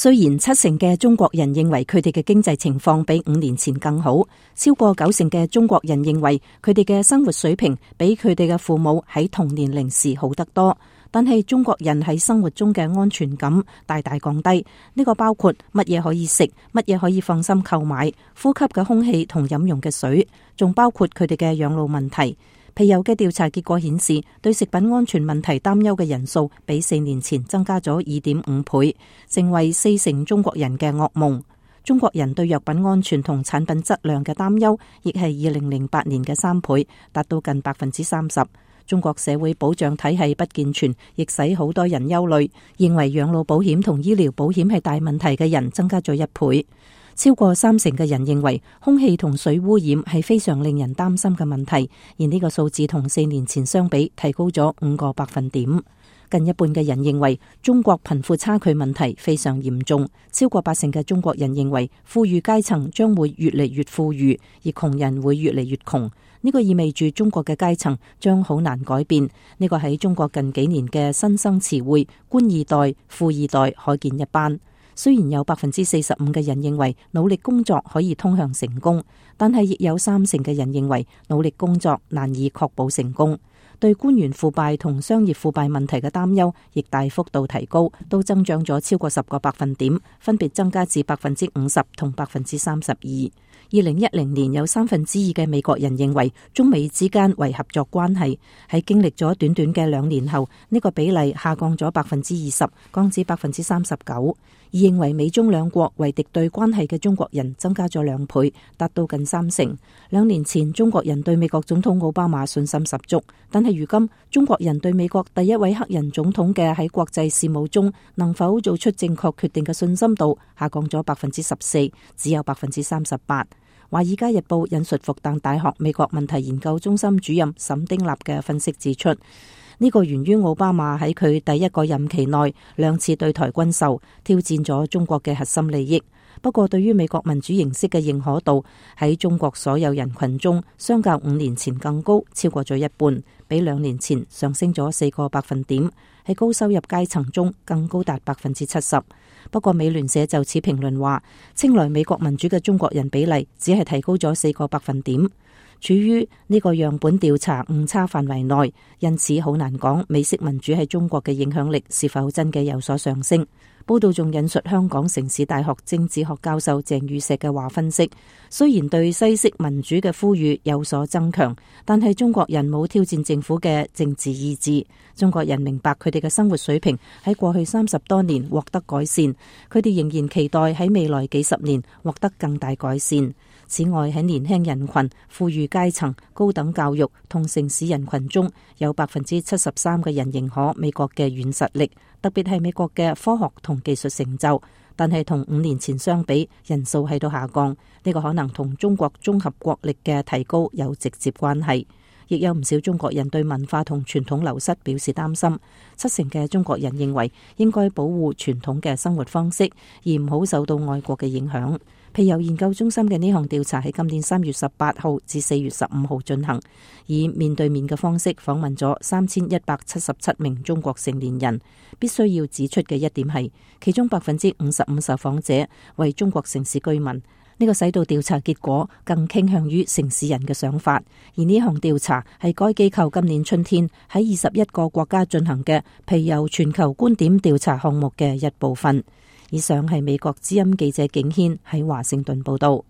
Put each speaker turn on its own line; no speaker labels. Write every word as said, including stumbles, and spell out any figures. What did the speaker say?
雖然七成嘅中國人認為佢哋嘅經濟情況比五年前更好，超過九成嘅中國人認為佢哋嘅生活水平比佢哋嘅父母喺同年齡時好得多，但係中國人喺生活中嘅安全感大大降低。呢個包括乜嘢可以食，乜嘢可以放心購買，呼吸嘅空氣同飲用嘅水，仲包括佢哋嘅養老問題。皮尤嘅調查結果顯示，對食品安全問題擔憂嘅人數比四年前增加咗二點五倍，成為四成中國人嘅噩夢。中國人對藥品安全同產品質量嘅擔憂，亦係二零零八年嘅三倍，達到近百分之三十。中國社會保障體系不健全，亦使好多人憂慮，認為養老保險同醫療保險係大問題嘅人增加咗一倍。超過三成嘅人認為空氣同水污染係非常令人擔心嘅問題，而呢個數字同四年前相比提高咗五個百分點。近一半嘅人認為中國貧富差距問題非常嚴重，超過八成嘅中國人認為富裕階層將會越嚟越富裕，而窮人會越嚟越窮。呢個意味住中國嘅階層將好難改變。呢個喺中國近幾年嘅新生詞彙官二代、富二代可見一斑。雖然有百分之四十五嘅人認為努力工作可以通向成功，但係亦有三成嘅人認為努力工作難以確保成功。對官員腐敗同商業腐敗問題嘅擔憂亦大幅度提高，都增長咗超過十個百分點，分別增加至百分之五十同百分之三十二。二零一零年有三分之二嘅美國人認為中美之間為合作關係，喺經歷咗短短嘅兩年後，呢個比例下降咗百分之二十，降至百分之三十九。而認為美中兩國為敵對關係嘅中國人增加咗兩倍，達到近三成。兩年前中國人對美國總統奧巴馬信心十足，但係如今中國人對美國第一位黑人總統嘅喺國際事務中能否做出正確決定嘅信心度下降咗百分之十四，只有百分之三十八。華爾街日報引述復旦大學美國問題研究中心主任沈丁納嘅分析指出，呢個源於奧巴馬喺佢第一個任期內兩次對台軍售，挑戰咗中國嘅核心利益。不過對於美國民主形式嘅認可度喺中國所有人群中相較五年前更高，超過咗一半，比兩年前上升咗四個百分點，喺高收入階層中更高達百分之七十。不過美聯社就此評論話，稱來美國民主嘅中國人比例只係提高咗四個百分點，處於呢個樣本調查誤差範圍內，因此好難講美式民主喺中國嘅影響力是否真嘅有所上升。報道仲引述香港城市大學政治學教授鄭宇碩嘅話分析，雖然對西式民主嘅呼籲有所增強，但係中國人冇挑戰政府嘅政治意志。中國人明白佢哋嘅生活水平喺過去三十多年獲得改善，佢哋仍然期待喺未來幾十年獲得更大改善。此外，喺年輕人群、富裕階層、高等教育同城市人群中，有百分之七十三嘅人認可美國嘅軟實力，特別係美國嘅科學同技術成就。但係同五年前相比，人數喺度下降。呢個可能同中國綜合國力嘅提高有直接關係。亦有唔少中國人對文化同傳統流失表示擔心。七成嘅中國人認為應該保護傳統嘅生活方式，而唔好受到外國嘅影響。皮尤研究中心嘅呢項調查喺今年三月十八號至四月十五號進行，以面對面嘅方式訪問咗三千一百七十七名中國成年人。必須要指出嘅一點係，其中百分之五十五受訪者為中國城市居民。呢個使到調查結果更傾向於城市人嘅想法。而呢項調查係該機構今年春天喺二十一個國家進行嘅皮尤全球觀點調查項目嘅一部分。以上係美國之音記者景軒喺華盛頓報道。